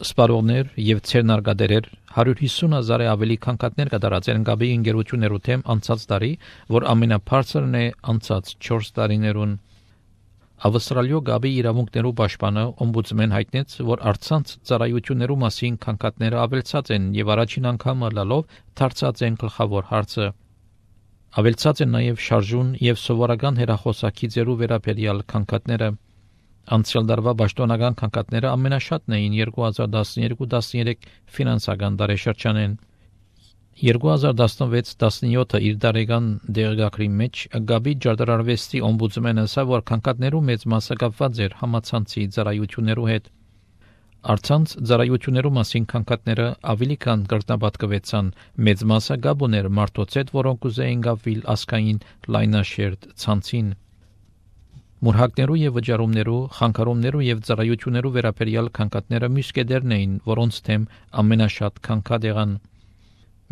սպառողներ եւ ցերնարգադերեր 150,000-ը ավելի քանքատներ կդարածեն գաբի ինգերություններու թեմ անցած տարի, որ ամենաբարձրն է անցած 4 տարիներուն։ Ավստրալիո գաբի իրավունքներու պաշտպանը օմբուդսմեն հայտնեց, որ արցանց ծառայություններու մասին քանքատները ավելցած են եւ առաջին անգամը լալով դարձած են գլխավոր հարցը։ Ավելցած են նաեւ շարժուն եւ սովորական հեռախոսակի ձերու վերաբերյալ քանքատները։ Անցյալ դարվա պաշտոնական քանքատները ամենաշատն էին 2012-13 ֆինանսական տարեշրջանին։ 2016-17 իր տարեկան դեղգակրի մեջ գաբի ջարդարարվեստի օմբուդսմենը ասա, որ քանքատներու մեծ մասը կապված էր համացանցի ծառայություններու հետ։ Արցանց ծառայություններու մասին քանքատները ավելի քան կրտնապատկվեցան, մեծ մասը գաբ ուներ մարդոց հետ, որոնք ուզեին գավիլ ասկային լայնաշերտ ցանցին։ Մուրհակներու եւ վճարումներու, խանգարումներու եւ ծառայություններու վերաբերյալ քանքատները մյուսկեդերն էին, որոնց թեմ ամենաշատ քանքատ եղան։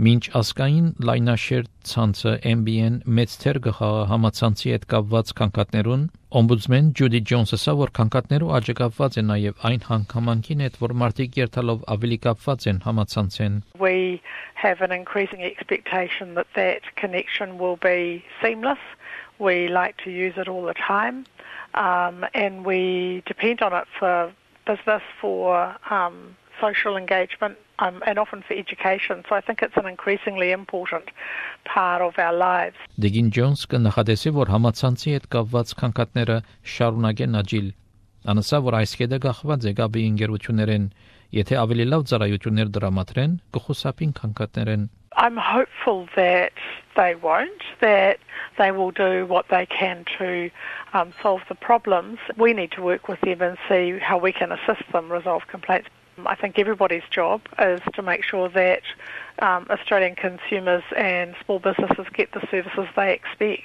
Մինչ ասկային լայնաշերտ ցանցը MBN մեծ թեր գխաղը համացանցի հետ կապված քանքատներուն, օմբուդսմեն Ջուդի Ջոնսը ասա, որ քանքատներու աճը կապված է նաեւ այն հանգամանքին հետ, որ մարդիկ երթալով ավելի կապված են համացանցեն։ We have an increasing expectation that that connection will be seamless. We like to use it all the time, and we depend on it for business, for social engagement, and often for education. So I think it's an increasingly important part of our lives. Դեգին Ջոնս կնախադեսի, որ համացանցի հետ կապված քանքատները շարունակեն աճել։ Անասա, որ այս կետը գախված է գաբի ինգերություններեն, եթե ավելի լավ ծառայություններ դրամատրեն, կխուսափին քանքատներեն։ I'm hopeful that they won't, that they will do what they can to solve the problems. We need to work with them and see how we can assist them resolve complaints. I think everybody's job is to make sure that Australian consumers and small businesses get the services they expect.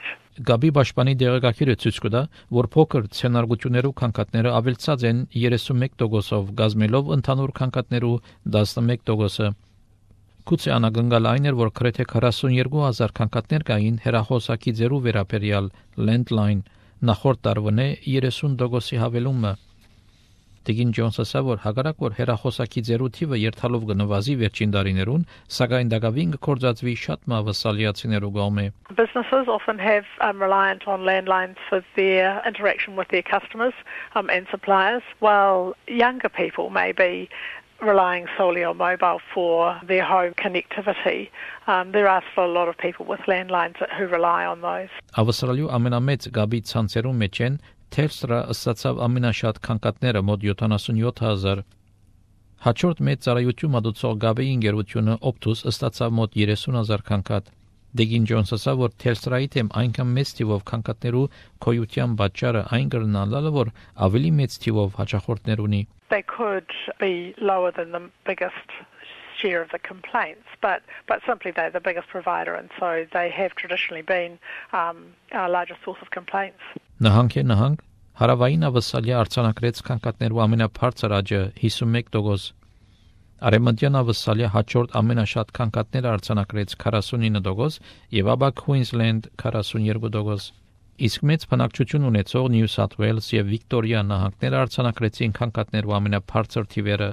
Գաբի պաշտպանի դեղեկագիրը ցույց կտա, որ փոքր ցենարգություններու քանքատները ավելցած են 31%-ով, գազմելով ընդհանուր քանքատներու 11%-ը։ Գուցե անագնգալ այն էր, որ գրեթե 42,000 քանքատներ կային հեռախոսակի ձերու վերաբերյալ landline, նախորդ տարվանե 30%-ի հավելումը։ Դեգին Ջոնսը ասա, որ հակառակ որ հեռախոսակի ձերու թիվը երթալով կնվազի վերջին տարիներուն, սակայն դակավին կկործածվի շատ մավասալիացիներու գոմե։ Businesses often have reliant on landlines for their interaction with their customers and suppliers, while younger people may be relying solely on mobile for their home connectivity. There are still a lot of people with landlines who rely on those. Ավստրալիու ամենամեծ գաբի ցանցերու մեջ են Telstra ստացավ ամենաշատ քանքատները մոտ 77,000։ Հաջորդ մեծ ծառայություն մատուցող գաբի ինգերությունը Optus ստացավ մոտ 30,000 քանքատ։ Դեգին Ջոնսը ասա, որ Telstra-ի թեմ այնքան մեծ թիվով քանքատներու քոյության պատճառը այն կրնալալը, որ ավելի մեծ թիվով հաճախորդներ ունի։ They could be lower than the biggest share of the complaints, but simply they're the biggest provider, and so they have traditionally been our largest source of complaints. Նահանգ հարավային ավսալիա արձանագրեց քանքատներու ամենաբարձր աճը 51%։ Արեմտյան ավսալիա հաջորդ ամենաշատ քանքատները արձանագրեց 49% եւ ապա Queensland 42%։ Իսկ մեծ բնակչություն ունեցող New South Wales եւ Victoria նահանգները արձանագրեցին քանքատներու ամենաբարձր թիվերը